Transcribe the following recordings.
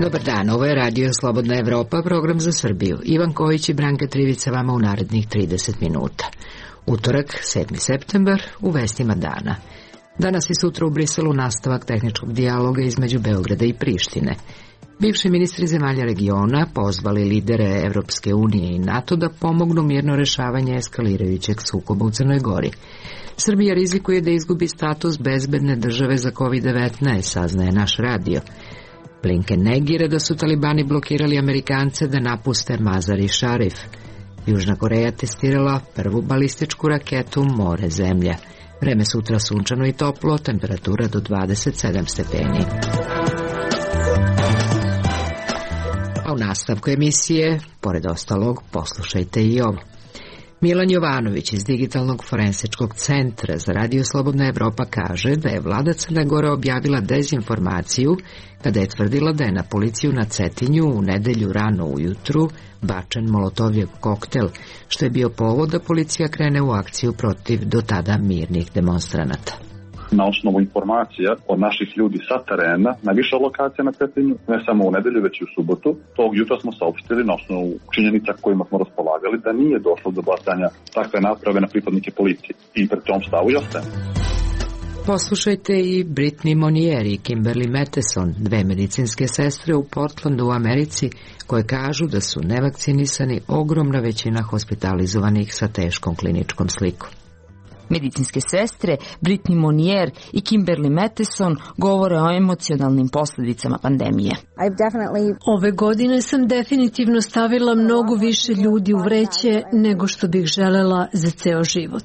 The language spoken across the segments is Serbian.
Dobar dan, ovo je Radio Slobodna Evropa, program za Srbiju. Ivan Kojić i Branka Trivica vama u narednih 30 minuta. Utorak, 7. septembar, u vestima dana. Danas i sutra u Briselu nastavak tehničkog dijaloga između Beograda i Prištine. Bivši ministri zemalja regiona pozvali lidere Evropske unije i NATO da pomognu mirno rešavanje eskalirajućeg sukoba u Crnoj Gori. Srbija rizikuje da izgubi status bezbedne države za COVID-19, saznaje naš radio. Blinken negira da su talibani blokirali Amerikance da napuste Mazar-i Šarif. Južna Koreja testirala prvu balističku raketu more zemlja. Vreme sutra sunčano i toplo, temperatura do 27 stepeni. A u nastavku emisije, pored ostalog, poslušajte i ovo. Milan Jovanović iz Digitalnog forensičkog centra za Radio Slobodna Evropa kaže da je vlada Crne Gore objavila dezinformaciju kada je tvrdila da je na policiju na Cetinju u nedelju rano ujutru bačen molotovljev koktel, što je bio povod da policija krene u akciju protiv do tada mirnih demonstranata. Na osnovu informacija od naših ljudi sa terena na više lokacija na Cetinju, ne samo u nedelju, već i u subotu, tog jutra smo saopštili na osnovu činjenica kojima smo raspolagali da nije došlo do bacanja takve naprave na pripadnike policije. I pred tom stavu i ostajemo. Poslušajte i Brittany Monier i Kimberly Matheson, dve medicinske sestre u Portlandu u Americi, koje kažu da su nevakcinisani ogromna većina hospitalizovanih sa teškom kliničkom slikom. Medicinske sestre Brittany Monier i Kimberly Matheson govore o emocionalnim posljedicama pandemije. Ove godine sam definitivno stavila mnogo više ljudi u vreće nego što bih želela za ceo život.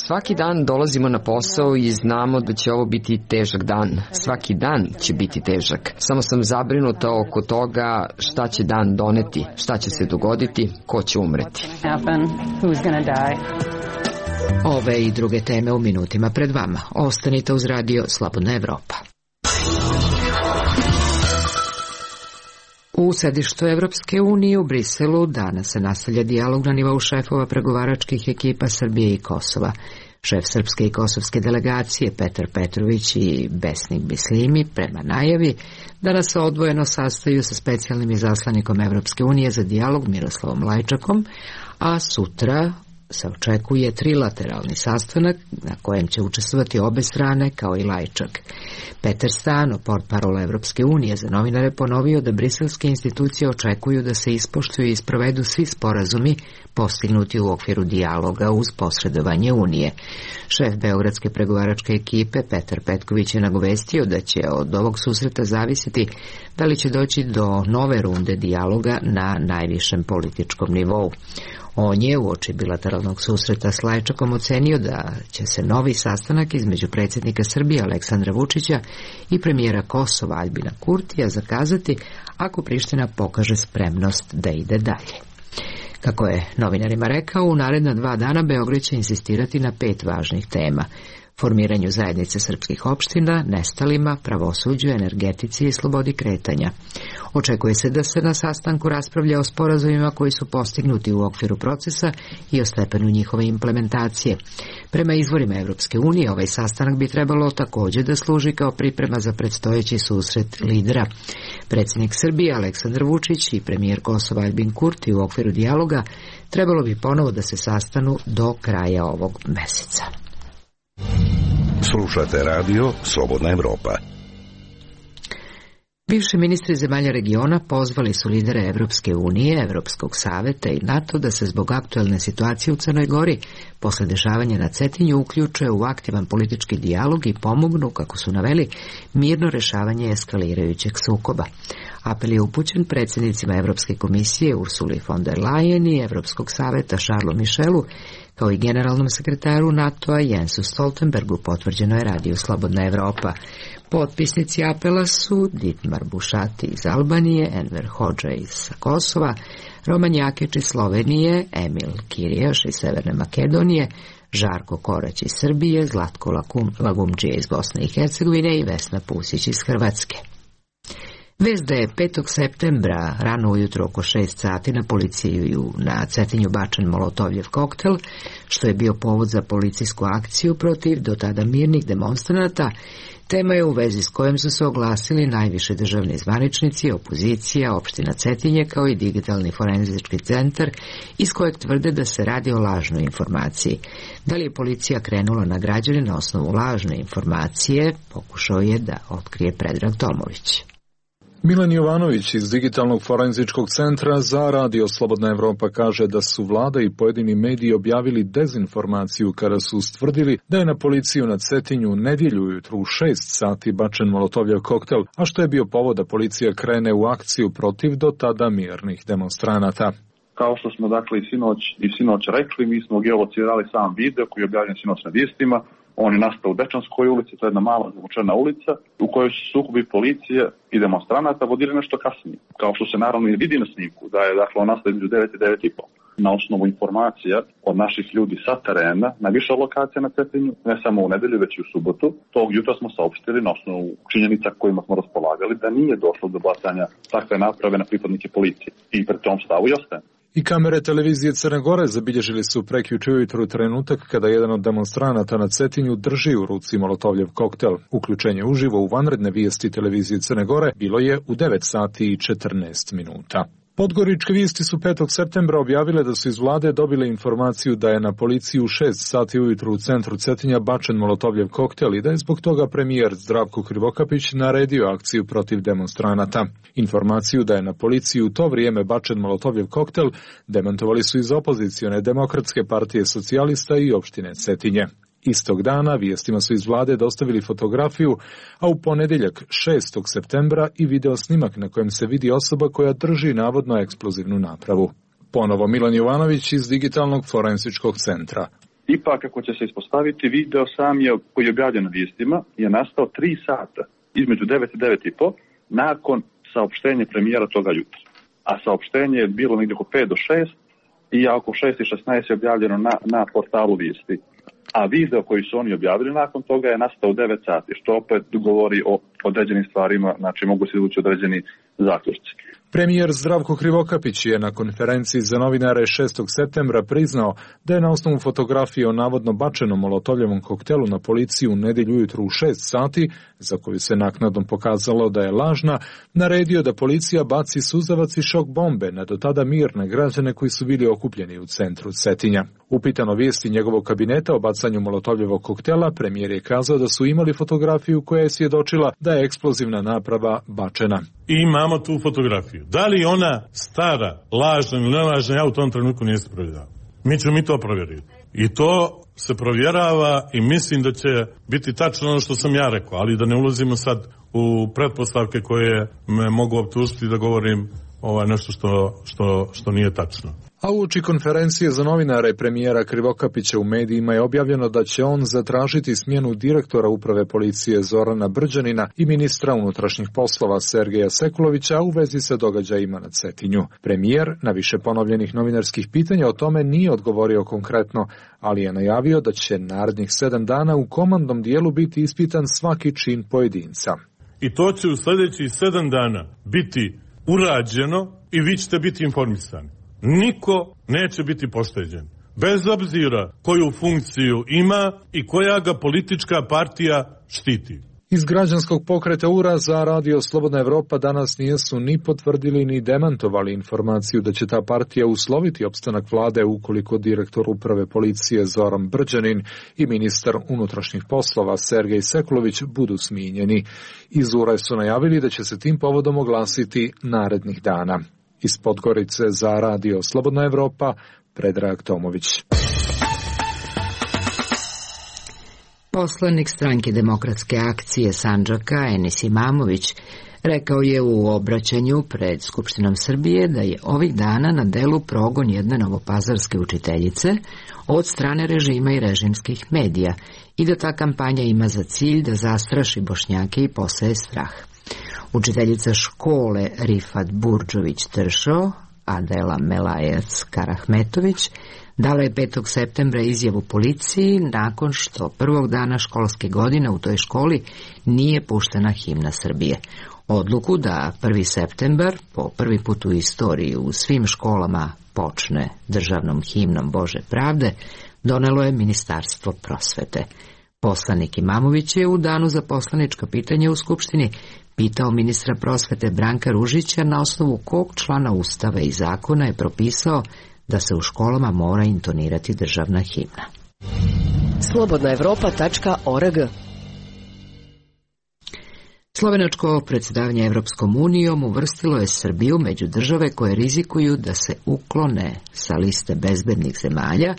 Svaki dan dolazimo na posao i znamo da će ovo biti težak dan. Svaki dan će biti težak. Samo sam zabrinuta oko toga šta će dan doneti, šta će se dogoditi, ko će umreti. Ove i druge teme u minutima pred vama. Ostanite uz Radio Slobodna Evropa. U sedištu Evropske unije u Briselu danas se nastavlja dijalog na nivou šefova pregovaračkih ekipa Srbije i Kosova. Šef srpske i kosovske delegacije Petar Petrović i Besnik Bislimi prema najavi danas se odvojeno sastaju sa specijalnim izaslanikom Evropske unije za dijalog Miroslavom Lajčakom, a sutra se očekuje trilateralni sastanak na kojem će učestvovati obe strane kao i Lajčak. Peter Stano, portparol Evropske unije, za novinare ponovio da briselske institucije očekuju da se ispoštuju i sprovedu svi sporazumi postignuti u okviru dijaloga uz posredovanje Unije. Šef beogradske pregovaračke ekipe Petar Petković je nagovestio da će od ovog susreta zavisiti da li će doći do nove runde dijaloga na najvišem političkom nivou. On je uoči bilateralnog susreta s Lajčakom ocenio da će se novi sastanak između predsjednika Srbije Aleksandra Vučića i premijera Kosova Aljbina Kurtija zakazati ako Priština pokaže spremnost da ide dalje. Kako je novinarima rekao, u naredna 2 dana Beograd će insistirati na 5 važnih tema: formiranju zajednice srpskih opština, nestalima, pravosuđu, energetici i slobodi kretanja. Očekuje se da se na sastanku raspravlja o sporazumima koji su postignuti u okviru procesa i o stepenu njihove implementacije. Prema izvorima Evropske unije, ovaj sastanak bi trebalo također da služi kao priprema za predstojeći susret lidera. Predsjednik Srbije Aleksandar Vučić i premijer Kosova Aljbin Kurti u okviru dijaloga trebalo bi ponovo da se sastanu do kraja ovog meseca. Slušate Radio Slobodna Evropa. Bivši ministri zemalja regiona pozvali su lidere Evropske unije, Evropskog saveta i NATO da se zbog aktuelne situacije u Crnoj Gori posle dešavanja na Cetinju uključe u aktivan politički dijalog i pomognu, kako su naveli, mirno rešavanje eskalirajućeg sukoba. Apel je upućen predsjednicima Evropske komisije Ursuli von der Leyen i Evropskog saveta Charlesu Michelu, kao i generalnom sekretaru NATO-a Jensu Stoltenbergu, potvrđeno je Radio Slobodna Evropa. Potpisnici apela su Dietmar Bušati iz Albanije, Enver Hodža iz Kosova, Roman Jakić iz Slovenije, Emil Kirijaš iz Severne Makedonije, Žarko Korać iz Srbije, Zlatko Lagumdžija iz Bosne i Hercegovine i Vesna Pusić iz Hrvatske. Vest da je 5. septembra rano ujutro oko 6 sati na policiju na Cetinju bačen molotovljev koktel, što je bio povod za policijsku akciju protiv do tada mirnih demonstranata, Tema je u vezi s kojom su se oglasili najviši državni zvaničnici, opozicija, opština Cetinje kao i digitalni forenzički centar iz kojeg tvrde da se radi o lažnoj informaciji. Da li je policija krenula na građane na osnovu lažne informacije, pokušao je da otkrije Predrag Tomović. Milan Jovanović iz Digitalnog forenzičkog centra za Radio Slobodna Evropa kaže da su vlada i pojedini mediji objavili dezinformaciju kada su ustvrdili da je na policiju na Cetinju nedjelju ujutru u 6 sati bačen molotovljev koktel, a što je bio povod da policija krene u akciju protiv do tada mirnih demonstranata. Kao što smo dakle i sinoć rekli, mi smo geolocirali sam video koji je objavljen sinoć na vijestima. On je nastao u Dečanskoj ulici, to je jedna mala zavučena ulica u kojoj su sukobi policije i demonstranata vodili nešto kasnije. Kao što se naravno i vidi na snimku, da je dakle on nastao između 9 i 9:30. Na osnovu informacija od naših ljudi sa terena, na više lokacija na Cetinju, ne samo u nedelju, već i u subotu, tog jutra smo saopštili na osnovu činjenica kojima smo raspolagali da nije došlo do bacanja takve naprave na pripadnike policije. I pred tom stavu i ostaje. I kamere televizije Crne Gore zabilježili su prekjuče ujutru trenutak kada jedan od demonstranata na Cetinju drži u ruci molotovljev koktel. Uključenje uživo u vanredne vijesti televizije Crne Gore bilo je u 9 sati i 14 minuta. Podgoričke vijesti su 5. septembra objavile da su iz vlade dobile informaciju da je na policiju u 6 sati ujutru u centru Cetinja bačen molotovljev koktel i da je zbog toga premijer Zdravko Krivokapić naredio akciju protiv demonstranata. Informaciju da je na policiju u to vrijeme bačen molotovljev koktel demantovali su iz opozicione Demokratske partije socijalista i opštine Cetinje. Istog dana vijestima su iz vlade dostavili fotografiju, a u ponedjeljak 6. septembra i video snimak na kojem se vidi osoba koja drži navodno eksplozivnu napravu. Ponovo Milan Jovanović iz Digitalnog forenzičkog centra. Ipak, ako će se ispostaviti, video sam je, koji je objavljen na vijestima, je nastao 3 sata, između 9 i 9:30, nakon saopštenja premijera toga jutra. A saopštenje je bilo negdje oko 5 do 6 i oko 6:16 je objavljeno na portalu vijesti. A video koji su oni objavili nakon toga je nastao u 9 sati, što opet govori o određenim stvarima, znači mogu se izvući određeni zaključci. Premijer Zdravko Krivokapić je na konferenciji za novinare 6. septembra priznao da je na osnovu fotografije o navodno bačenom molotovljevom koktelu na policiju u nedjelju ujutru u 6 sati, za koju se naknadno pokazalo da je lažna, naredio da policija baci suzavac i šok bombe na do tada mirne građane koji su bili okupljeni u centru Cetinja. Upitano vijesti njegovog kabineta o bacanju molotovljevog koktela, premijer je kazao da su imali fotografiju koja je svjedočila da je eksplozivna naprava bačena. I imamo tu fotografiju. Da li ona stara, lažna ili nelažna, ja u tom trenutku nisam provjeravao. Mi ćemo to provjeriti. I to se provjerava i mislim da će biti tačno ono što sam ja rekao, ali da ne ulazimo sad u pretpostavke koje me mogu optužiti da govorim nešto što nije tačno. A uoči konferencije za novinare premijera Krivokapića u medijima je objavljeno da će on zatražiti smjenu direktora uprave policije Zorana Brđanina i ministra unutrašnjih poslova Sergeja Sekulovića u vezi sa događajima na Cetinju. Premijer na više ponovljenih novinarskih pitanja o tome nije odgovorio konkretno, ali je najavio da će narednih 7 dana u komandnom dijelu biti ispitan svaki čin pojedinca. I to će u sljedećih 7 dana biti urađeno i vi ćete biti informisani. Niko neće biti pošteđen, bez obzira koju funkciju ima i koja ga politička partija štiti. Iz građanskog pokreta URA za Radio Slobodna Evropa danas nisu ni potvrdili ni demantovali informaciju da će ta partija usloviti opstanak vlade ukoliko direktor uprave policije Zoran Brđanin i ministar unutrašnjih poslova Sergej Sekulović budu smijenjeni. Iz URA su najavili da će se tim povodom oglasiti narednih dana. Iz Podgorice za Radio Slobodna Evropa, Predrag Tomović. Poslanik stranke Demokratske akcije Sandžaka Enis Imamović rekao je u obraćanju pred Skupštinom Srbije da je ovih dana na delu progon jedne novopazarske učiteljice od strane režima i režimskih medija i da ta kampanja ima za cilj da zastraši Bošnjake i poseje strah. Učiteljica škole Rifat Burdžović-Tršo, Adela Melajac Karahmetović, dala je 5. septembra izjavu policiji nakon što prvog dana školske godine u toj školi nije puštena himna Srbije. Odluku da 1. septembar, po prvi put u istoriji u svim školama počne državnom himnom Bože pravde, donelo je Ministarstvo prosvete. Poslanik Imamović je u danu za poslanička pitanja u Skupštini pitao ministra prosvete Branka Ružića na osnovu kog člana Ustava i zakona je propisao da se u školama mora intonirati državna himna. Slobodnaevropa.org. Slovenačko predsjedavanje Evropskom unijom uvrstilo je Srbiju među države koje rizikuju da se uklone sa liste bezbednih zemalja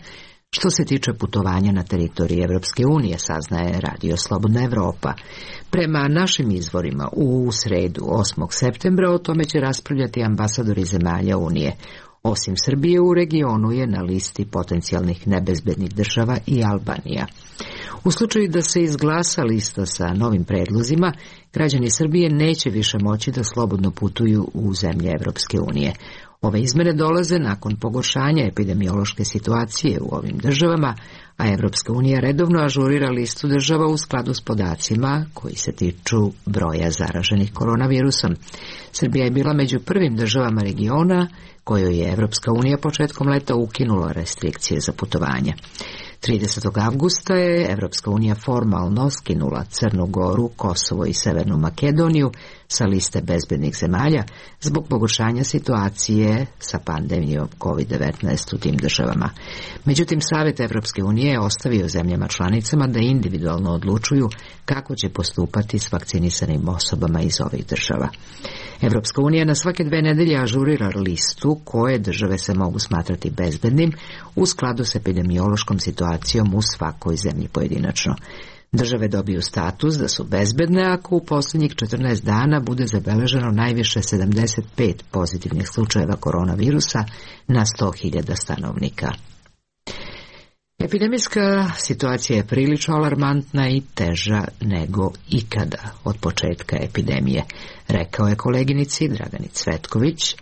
što se tiče putovanja na teritoriji Evropske unije, saznaje Radio Slobodna Evropa. Prema našim izvorima, u sredu 8. septembra o tome će raspravljati ambasadori zemalja Unije. Osim Srbije, u regionu je na listi potencijalnih nebezbednih država i Albanija. U slučaju da se izglasa lista sa novim predlozima, građani Srbije neće više moći da slobodno putuju u zemlje Evropske unije. Ove izmene dolaze nakon pogoršanja epidemiološke situacije u ovim državama, a Evropska unija redovno ažurira listu država u skladu s podacima koji se tiču broja zaraženih koronavirusom. Srbija je bila među prvim državama regiona kojoj je Evropska unija početkom leta ukinula restrikcije za putovanje. 30. avgusta je Evropska unija formalno skinula Crnu Goru, Kosovo i Severnu Makedoniju sa liste bezbednih zemalja zbog pogoršanja situacije sa pandemijom COVID-19 u tim državama. Međutim, Savet Evropske unije je ostavio zemljama članicama da individualno odlučuju kako će postupati s vakcinisanim osobama iz ovih država. Evropska unija na svake 2 nedelje ažurira listu koje države se mogu smatrati bezbednim u skladu s epidemiološkom situacijom u svakoj zemlji pojedinačno. Države dobiju status da su bezbedne ako u posljednjih 14 dana bude zabeleženo najviše 75 pozitivnih slučajeva koronavirusa na 100.000 stanovnika. Epidemijska situacija je prilično alarmantna i teža nego ikada od početka epidemije, rekao je koleginici Dragani Cvetković,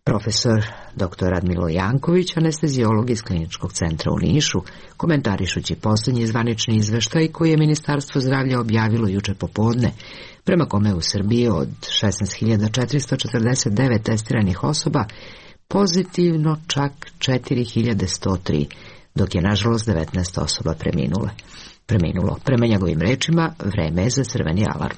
profesor dr. Radmilo Janković, anestezijolog iz Kliničkog centra u Nišu, komentarišući posljednji zvanični izveštaj koji je Ministarstvo zdravlja objavilo juče popodne, prema kome u Srbiji od 16.449 testiranih osoba pozitivno čak 4.103, dok je nažalost 19 osoba preminulo. Prema njegovim rečima, vreme je za crveni alarm.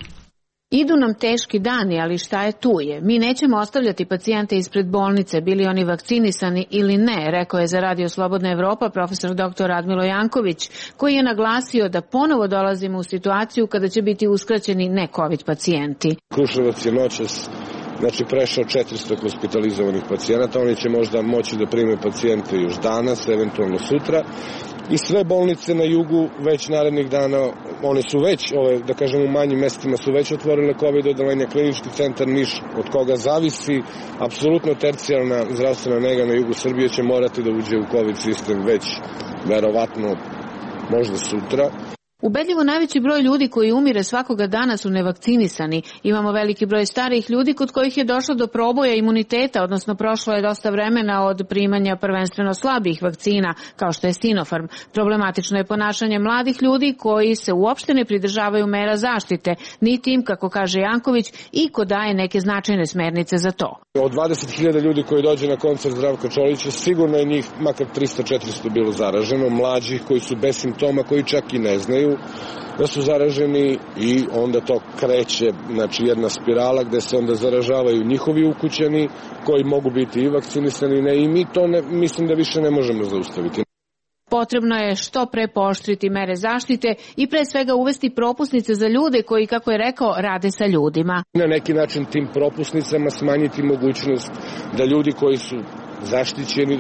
Idu nam teški dani, ali šta je tu je. Mi nećemo ostavljati pacijente ispred bolnice, bili oni vakcinisani ili ne, rekao je za Radio Slobodna Evropa profesor dr. Radmilo Janković, koji je naglasio da ponovo dolazimo u situaciju kada će biti uskraćeni ne-COVID pacijenti. Kruševac je noćas prešao 400 hospitalizovanih pacijenata, oni će možda moći da prime pacijente još danas, eventualno sutra. I sve bolnice na jugu već narednih dana, one su već, da kažem u manjim mestima su već otvorile COVID odeljenja. Klinički centar Niš, od koga zavisi apsolutno tercijalna zdravstvena nega na jugu Srbije, će morati da uđe u COVID sistem već verovatno možda sutra. Ubedljivo najveći broj ljudi koji umire svakoga dana su nevakcinisani. Imamo veliki broj starijih ljudi kod kojih je došlo do proboja imuniteta, odnosno prošlo je dosta vremena od primanja prvenstveno slabih vakcina, kao što je Sinopharm. Problematično je ponašanje mladih ljudi koji se uopšte ne pridržavaju mera zaštite, niti im, kako kaže Janković, iko daje neke značajne smernice za to. Od 20.000 ljudi koji dođe na koncert Zdravka Čolića, sigurno je njih makar 300-400 bilo zaraženo, mlađih koji su bez simptoma, koji čak i ne znaju da su zaraženi, i onda to kreće, jedna spirala gde se onda zaražavaju njihovi ukućani koji mogu biti i vakcinisani, i mi to mislim da više ne možemo zaustaviti. Potrebno je što pre pooštriti mere zaštite i pre svega uvesti propusnice za ljude koji, kako je rekao, rade sa ljudima. Na neki način tim propusnicama smanjiti mogućnost da ljudi koji su zaštićeni,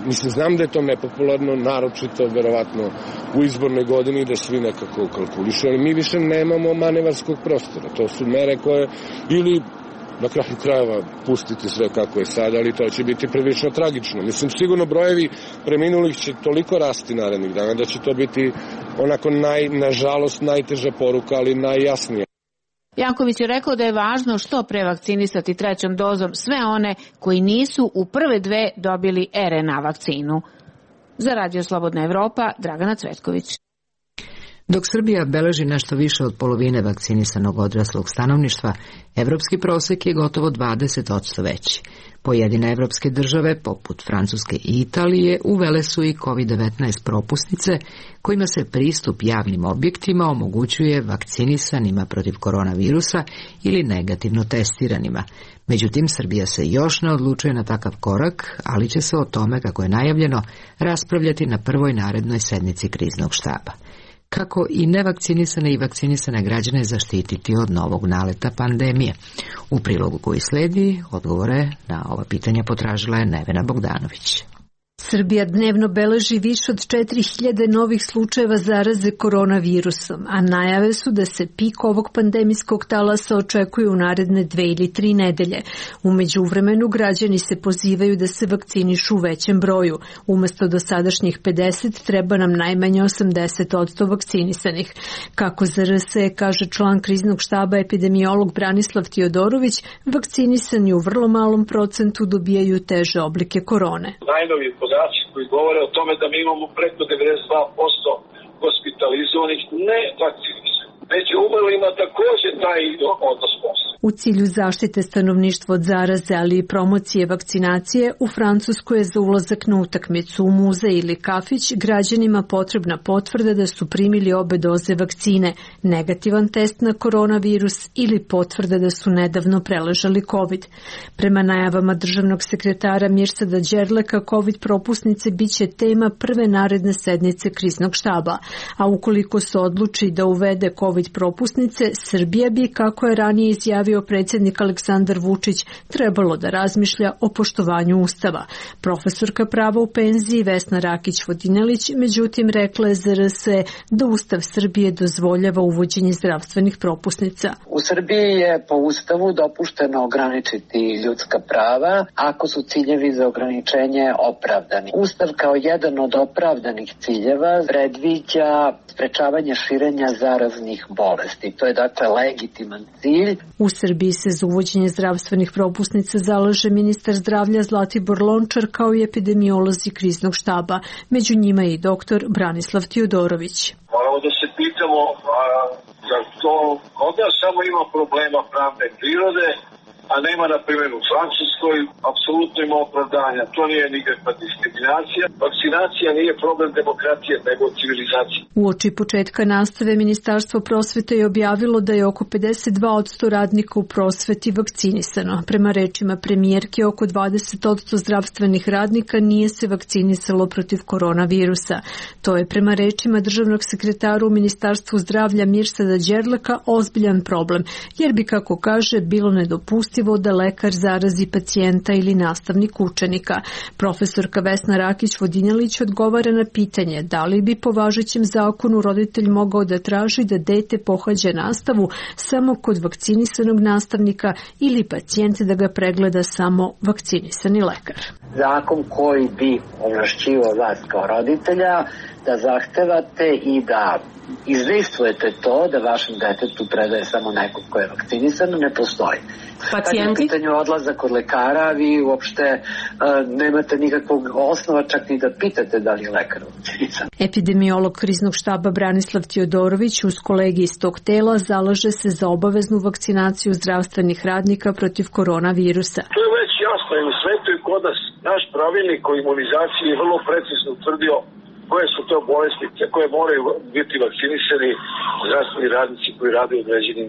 znam da je to nepopularno, naročito verovatno u izbornoj godini, da svi nekako kalkulišu, ali mi više nemamo manevarskog prostora. To su mere koje, ili na kraju krajeva pustiti sve kako je sad, ali to će biti prilično tragično. Sigurno brojevi preminulih će toliko rasti narednih dana da će to biti onako nažalost najteža poruka, ali najjasnija. Janković je rekao da je važno što pre vakcinisati 3. dozom sve one koji nisu u prve 2 dobili RNA vakcinu. Za Radio Slobodna Evropa, Dragana Cvetković. Dok Srbija beleži nešto više od polovine vakcinisanog odraslog stanovništva, evropski prosek je gotovo 20% veći. Pojedine evropske države, poput Francuske i Italije, uvele su i COVID-19 propusnice, kojima se pristup javnim objektima omogućuje vakcinisanima protiv koronavirusa ili negativno testiranima. Međutim, Srbija se još ne odlučuje na takav korak, ali će se o tome, kako je najavljeno, raspravljati na prvoj narednoj sednici kriznog štaba. Kako i nevakcinisane i vakcinisane građane zaštititi od novog naleta pandemije? U prilogu koji sledi, odgovore na ova pitanja potražila je Nevena Bogdanović. Srbija dnevno beleži više od 4000 novih slučajeva zaraze koronavirusom, a najave su da se pik ovog pandemijskog talasa očekuje u naredne 2 ili 3 nedelje. U međuvremenu građani se pozivaju da se vakcinišu u većem broju. Umesto dosadašnjih 50 treba nam najmanje 80% vakcinisanih. Kako za RSE kaže član kriznog štaba epidemiolog Branislav Tiodorović, vakcinisani u vrlo malom procentu dobijaju teže oblike korone. Najnoviji podaci koji govore o tome da mi imamo preko 92% hospitalizovanih ne vakcinisanih. Među umrlima takođe taj odnos postoji. U cilju zaštite stanovništva od zaraze, ali i promocije vakcinacije, u Francuskoj je za ulazak na utakmicu u muzej ili kafić građanima potrebna potvrda da su primili obe doze vakcine, negativan test na koronavirus ili potvrda da su nedavno preležali COVID. Prema najavama državnog sekretara Mirsada Đerleka, COVID propusnice biće tema prve naredne sednice kriznog štaba, a ukoliko se odluči da uvede COVID propusnice, Srbija bi, kako je ranije izjavio predsjednik Aleksandar Vučić, trebalo da razmišlja o poštovanju Ustava. Profesorka prava u penziji Vesna Rakić-Vodinelić, međutim, rekla je za RSE da Ustav Srbije dozvoljava uvođenje zdravstvenih propusnica. U Srbiji je po Ustavu dopušteno ograničiti ljudska prava ako su ciljevi za ograničenje opravdani. Ustav kao jedan od opravdanih ciljeva predviđa sprečavanje širenja zaraznih bolesti. To je dakle legitiman cilj. U Srbiji se za uvođenje zdravstvenih propusnica zalaže ministar zdravlja Zlatibor Lončar kao i epidemiolozi kriznog štaba. Među njima je i doktor Branislav Tiodorović. Moramo da se pitamo da to kod nas samo ima problema pravne prirode, a nema, na primjer, u Francuskoj, apsolutno ima opravdanja. To nije nikakva diskriminacija. Vakcinacija nije problem demokratije, nego civilizacije. Uoči početka nastave Ministarstvo prosvete je objavilo da je oko 52% radnika u prosveti vakcinisano. Prema rečima premijerke, oko 20% zdravstvenih radnika nije se vakcinisalo protiv koronavirusa. To je prema rečima državnog sekretara u Ministarstvu zdravlja Mirsada Đerleka ozbiljan problem, jer bi, kako kaže, bilo nedopustivo da lekar zarazi pacijenta ili nastavnik učenika. Profesorka Vesna Rakić-Vodinelić odgovara na pitanje da li bi po važećem zakonu roditelj mogao da traži da dete pohađa nastavu samo kod vakcinisanog nastavnika ili pacijent da ga pregleda samo vakcinisani lekar. Zakon koji bi ovlašćivao vas kao roditelja da zahtevate i da izvestvujete to da vašem detetu predaje samo nekog ko je vakcinisan, ne postoji. Pacijenti? Kad je u pitanju odlazak kod lekara, vi uopšte nemate nikakvog osnova čak ni da pitate da li je lekar vakcinisan. Epidemiolog kriznog štaba Branislav Tiodorović uz kolegi iz tog tela zalaže se za obaveznu vakcinaciju zdravstvenih radnika protiv koronavirusa. To je već jasno i u svetu i kod nas. Naš pravilnik o imunizaciji je vrlo precizno utvrdio koje su to bolesti koje moraju biti vakcinisani zdravstveni radnici koji rade u određenim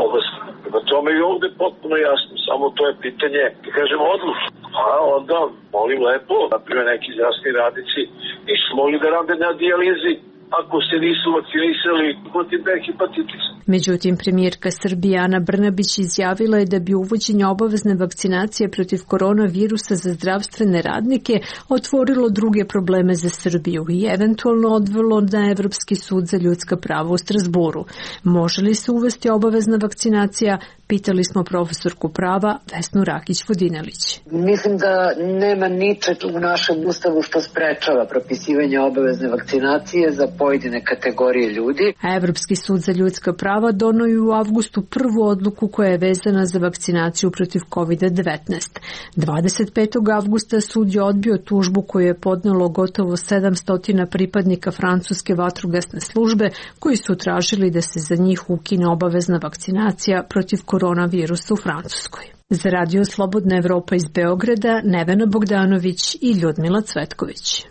oblastima. Prema tome i ovde je potpuno jasno, samo to je pitanje, da kažemo, odluke. A onda, molim lepo, naprimjer neki zdravstveni radnici nisu mogli da rade na dijalizi ako se nisu vakcinisali protiv B hepatitisa. Međutim, premijerka Srbije Ana Brnabić izjavila je da bi uvođenje obavezne vakcinacije protiv koronavirusa za zdravstvene radnike otvorilo druge probleme za Srbiju i eventualno odvelo na Evropski sud za ljudska prava u Strasburu. Može li se uvesti obavezna vakcinacija? Pitali smo profesorku prava Vesnu Rakić-Vodinelić. Mislim da nema ničeg u našem ustavu što sprečava propisivanje obavezne vakcinacije za pojedine kategorije ljudi. A Evropski sud za ljudska prava donio je u avgustu prvu odluku koja je vezana za vakcinaciju protiv COVID-19. 25. avgusta sud je odbio tužbu koju je podnelo gotovo 700 pripadnika francuske vatrogasne službe koji su tražili da se za njih ukine obavezna vakcinacija protiv koronavirusa u Francuskoj. Za Radio Slobodna Evropa iz Beograda, Nevena Bogdanović i Ljudmila Cvetković.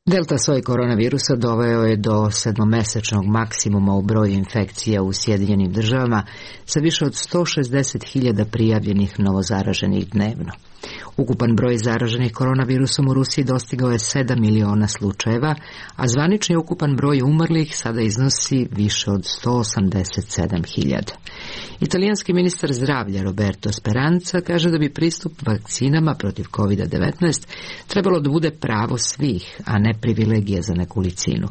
Delta soj koronavirusa doveo je do 7-mesečnog maksimuma u broju infekcija u Sjedinjenim državama sa više od 160.000 prijavljenih novozaraženih dnevno. Ukupan broj zaraženih koronavirusom u Rusiji dostigao je 7 miliona slučajeva, a zvanični ukupan broj umrlih sada iznosi više od 187.000. Italijanski ministar zdravlja Roberto Speranza kaže da bi pristup vakcinama protiv COVID-19 trebalo da bude pravo svih, a ne privilegija za nekolicinu.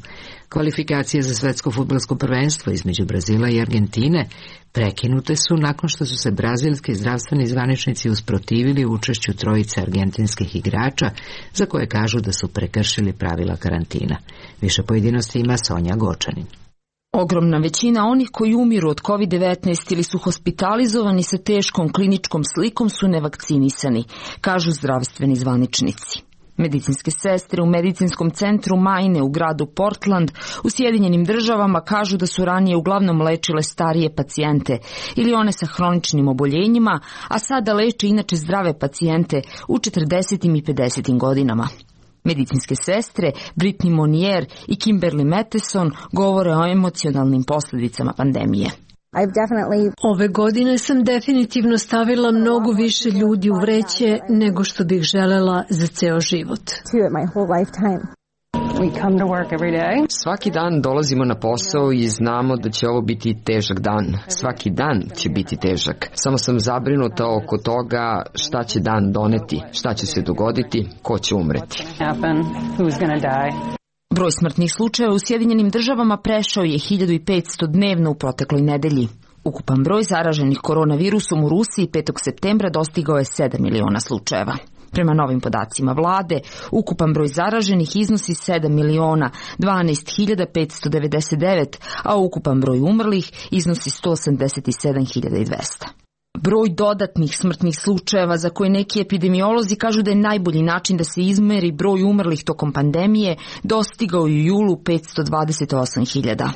Kvalifikacije za svetsko fudbalsko prvenstvo između Brazila i Argentine prekinute su nakon što su se brazilski zdravstveni zvaničnici usprotivili učešću trojice argentinskih igrača za koje kažu da su prekršili pravila karantina. Više pojedinosti ima Sonja Gočanin. Ogromna većina onih koji umiru od COVID-19 ili su hospitalizovani sa teškom kliničkom slikom su nevakcinisani, kažu zdravstveni zvaničnici. Medicinske sestre u medicinskom centru Maine u gradu Portland u Sjedinjenim državama kažu da su ranije uglavnom lečile starije pacijente ili one sa hroničnim oboljenjima, a sada leče inače zdrave pacijente u 40. i 50. godinama. Medicinske sestre Brittany Monier i Kimberly Matheson govore o emocionalnim posljedicama pandemije. Ove godine sam definitivno stavila mnogo više ljudi u vreće nego što bih želela za ceo život. Svaki dan dolazimo na posao i znamo da će ovo biti težak dan. Svaki dan će biti težak. Samo sam zabrinuta oko toga šta će dan doneti, šta će se dogoditi, ko će umreti. Broj smrtnih slučajeva u Sjedinjenim državama prešao je 1500 dnevno u protekloj nedelji. Ukupan broj zaraženih koronavirusom u Rusiji 5. septembra dostigao je 7 miliona slučajeva. Prema novim podacima vlade, ukupan broj zaraženih iznosi 7 miliona 12.599, a ukupan broj umrlih iznosi 187.200. Broj dodatnih smrtnih slučajeva za koje neki epidemiolozi kažu da je najbolji način da se izmeri broj umrlih tokom pandemije dostigao u julu 528.000.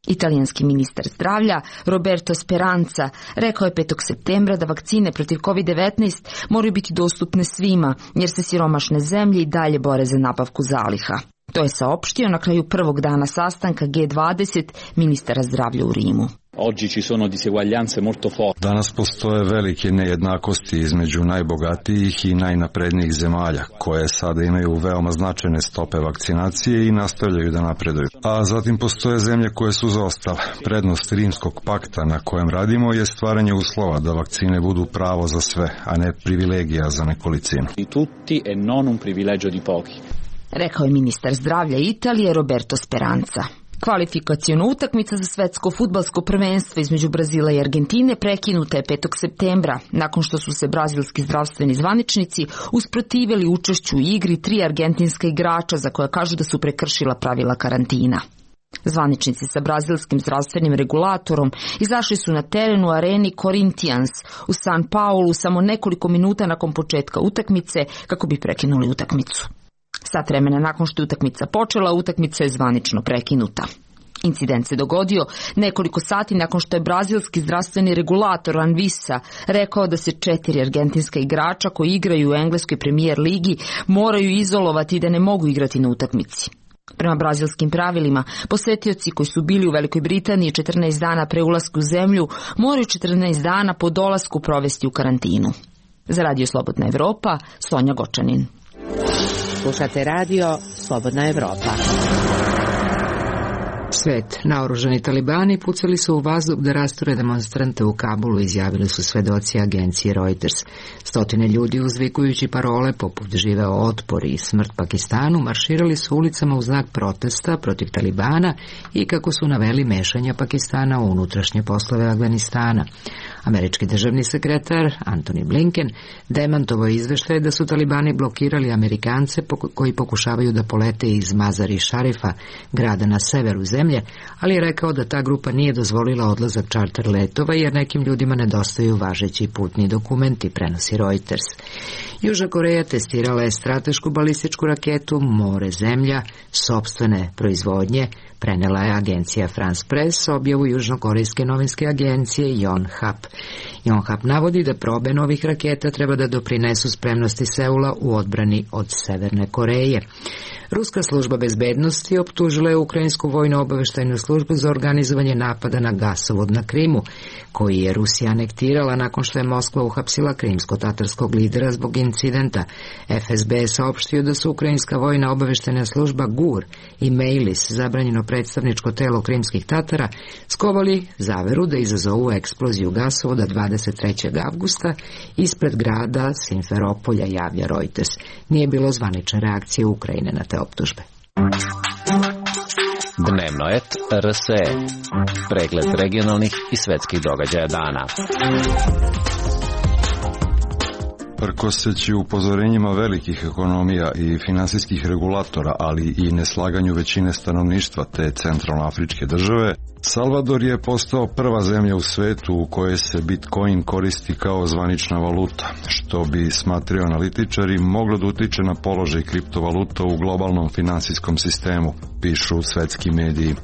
Italijanski ministar zdravlja Roberto Speranza rekao je 5. septembra da vakcine protiv COVID-19 moraju biti dostupne svima, jer se siromašne zemlje i dalje bore za nabavku zaliha. To je saopštio na kraju prvog dana sastanka G20 ministara zdravlja u Rimu. Danas postoje velike nejednakosti između najbogatijih i najnaprednijih zemalja, koje sada imaju veoma značajne stope vakcinacije i nastavljaju da napreduju. A zatim postoje zemlje koje su zaostale. Prednost Rimskog pakta na kojem radimo je stvaranje uslova da vakcine budu pravo za sve, a ne privilegija za nekolicinu. Rekao je ministar zdravlja Italije Roberto Speranza. Kvalifikaciona utakmica za svetsko fudbalsko prvenstvo između Brazila i Argentine prekinuta je 5. septembra, nakon što su se brazilski zdravstveni zvaničnici usprotivili učešću u igri 3 argentinska igrača za koja kažu da su prekršila pravila karantina. Zvaničnici sa brazilskim zdravstvenim regulatorom izašli su na teren u areni Corinthians u San Paulu samo nekoliko minuta nakon početka utakmice kako bi prekinuli utakmicu. Sat vremena nakon što je utakmica počela, utakmica je zvanično prekinuta. Incident se dogodio nekoliko sati nakon što je brazilski zdravstveni regulator Anvisa rekao da se 4 argentinska igrača koji igraju u engleskoj premijer ligi moraju izolovati i da ne mogu igrati na utakmici. Prema brazilskim pravilima, posetioci koji su bili u Velikoj Britaniji 14 dana pre ulaska u zemlju moraju 14 dana po dolasku provesti u karantinu. Za Radio Slobodna Evropa, Sonja Gočanin. Slušate Radio Slobodna Evropa. Svet. Naoružani talibani pucali su u vazduh da rasture demonstrante u Kabulu, izjavili su svedoci agencije Reuters. Stotine ljudi uzvikujući parole poput živeo otpor i smrt Pakistanu marširali su ulicama u znak protesta protiv talibana i kako su naveli mešanja Pakistana u unutrašnje poslove Afganistana. Američki državni sekretar Antony Blinken demantovao izveštaje da su talibani blokirali Amerikance koji pokušavaju da polete iz Mazar-i Šarifa, grada na severu zemlje, ali je rekao da ta grupa nije dozvolila odlazak čarter letova jer nekim ljudima nedostaju važeći putni dokumenti, prenosi Reuters. Južna Koreja testirala je stratešku balističku raketu More zemlja sopstvene proizvodnje, prenela je agencija France Press objavu južnokorejske novinske agencije Yonhap. Yonhap navodi da probe novih raketa treba da doprinesu spremnosti Seula u odbrani od Severne Koreje. Ruska služba bezbednosti optužila je ukrajinsku vojno-obaveštajnu službu za organizovanje napada na gasovod na Krimu, koji je Rusija anektirala nakon što je Moskva uhapsila krimsko-tatarskog lidera zbog incidenta. FSB je saopštio da su ukrajinska vojna-obaveštajna služba GUR i Mejlis, zabranjeno predstavničko telo krimskih Tatara, skovali zaveru da izazovu eksploziju gasovoda 23. avgusta ispred grada Simferopolja, javlja Reuters. Nije bilo zvanične reakcije Ukrajine na te optužbe. Dnevno et RSE. Pregled regionalnih i svetskih događaja dana. Prkoseći upozorenjima velikih ekonomija i finansijskih regulatora, ali i neslaganju većine stanovništva te centralnoafričke države, Salvador je postao prva zemlja u svetu u kojoj se Bitcoin koristi kao zvanična valuta, što bi, smatraju analitičari, moglo da utiče na položaj kriptovaluta u globalnom finansijskom sistemu, pišu svetski mediji.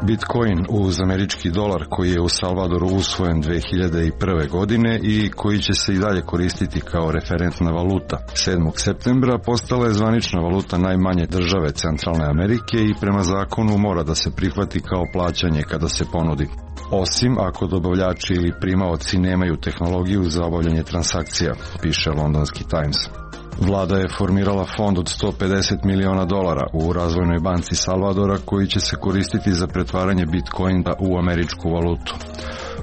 Bitcoin uz američki dolar koji je u Salvadoru usvojen 2001. godine i koji će se i dalje koristiti kao referentna valuta. 7. septembra postala je zvanična valuta najmanje države Centralne Amerike i prema zakonu mora da se prihvati kao plaćanje kada se ponudi. Osim ako dobavljači ili primaoci nemaju tehnologiju za obavljanje transakcija, piše londonski Times. Vlada je formirala fond od $150 miliona u Razvojnoj banci Salvadora koji će se koristiti za pretvaranje Bitcoina u američku valutu.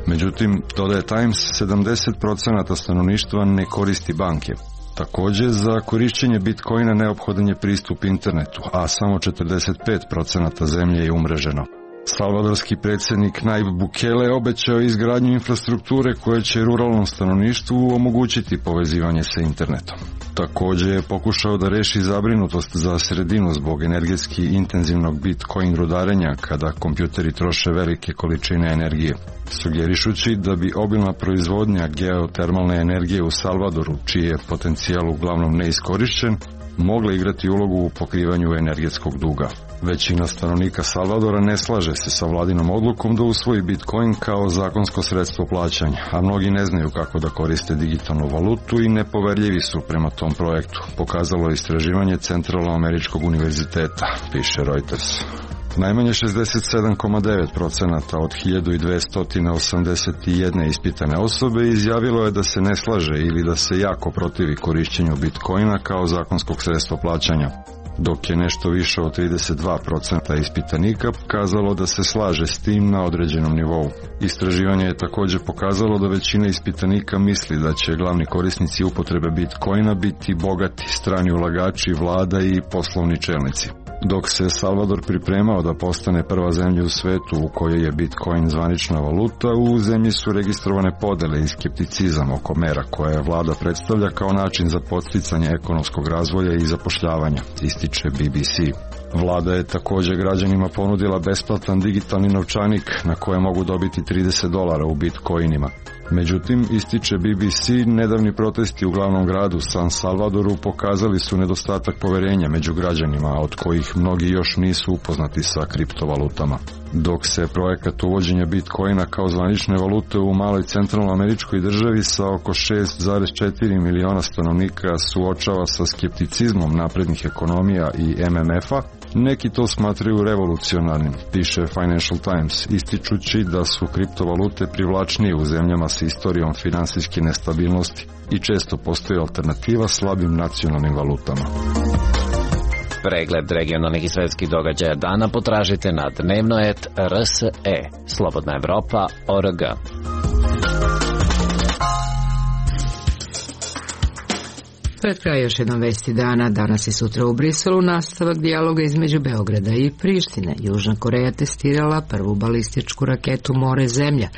Međutim, dodaje Times, 70% stanovništva ne koristi banke. Također, za korišćenje Bitcoina neophodan je pristup internetu, a samo 45% zemlje je umreženo. Salvadorski predsjednik Nayib Bukele obećao izgradnju infrastrukture koja će ruralnom stanovništvu omogućiti povezivanje sa internetom. Također je pokušao da reši zabrinutost za sredinu zbog energetski intenzivnog Bitcoin rudarenja kada kompjuteri troše velike količine energije, sugerišući da bi obilna proizvodnja geotermalne energije u Salvadoru, čiji je potencijal uglavnom neiskorišćen, mogla igrati ulogu u pokrivanju energetskog duga. Većina stanovnika Salvadora ne slaže se sa vladinom odlukom da usvoji Bitcoin kao zakonsko sredstvo plaćanja, a mnogi ne znaju kako da koriste digitalnu valutu i nepoverljivi su prema tom projektu, pokazalo je istraživanje Centralnoameričkog univerziteta, piše Reuters. Najmanje 67,9% od 1281 ispitane osobe izjavilo je da se ne slaže ili da se jako protivi korišćenju Bitcoina kao zakonskog sredstva plaćanja, dok je nešto više od 32% ispitanika pokazalo da se slaže s tim na određenom nivou. Istraživanje je također pokazalo da većina ispitanika misli da će glavni korisnici upotrebe Bitcoina biti bogati, strani ulagači, vlada i poslovni čelnici. Dok se Salvador pripremao da postane prva zemlja u svetu u kojoj je Bitcoin zvanična valuta, u zemlji su registrovane podele i skepticizam oko mera koje vlada predstavlja kao način za podsticanje ekonomskog razvoja i zapošljavanja, ističe BBC. Vlada je također građanima ponudila besplatan digitalni novčanik na koje mogu dobiti $30 u bitcoinima. Međutim, ističe BBC, nedavni protesti u glavnom gradu San Salvadoru pokazali su nedostatak poverenja među građanima, od kojih mnogi još nisu upoznati sa kriptovalutama. Dok se projekat uvođenja Bitcoina kao zvanične valute u maloj centralnoameričkoj državi sa oko 6,4 miliona stanovnika suočava sa skepticizmom naprednih ekonomija i MMF-a, neki to smatraju revolucionarnim, piše Financial Times, ističući da su kriptovalute privlačnije u zemljama s istorijom finansijske nestabilnosti i često postoji alternativa slabim nacionalnim valutama. Pregled regionalnih i svetskih događaja dana potražite na dnevno.rse, slobodnaevropa.org. Pred kraj još jednom vesti dana, danas i sutra u Briselu nastavak dijaloga između Beograda i Prištine. Južna Koreja testirala prvu balističku raketu more-zemlja.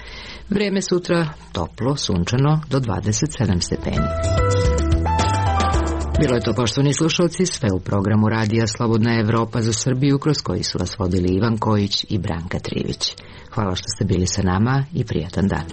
Vreme sutra toplo, sunčano do 27 stepeni. Bilo je to, poštovani slušalci, sve u programu radija Slobodna Evropa za Srbiju, kroz koji su vas vodili Ivan Kojić i Branka Trivić. Hvala što ste bili sa nama i prijatan dan.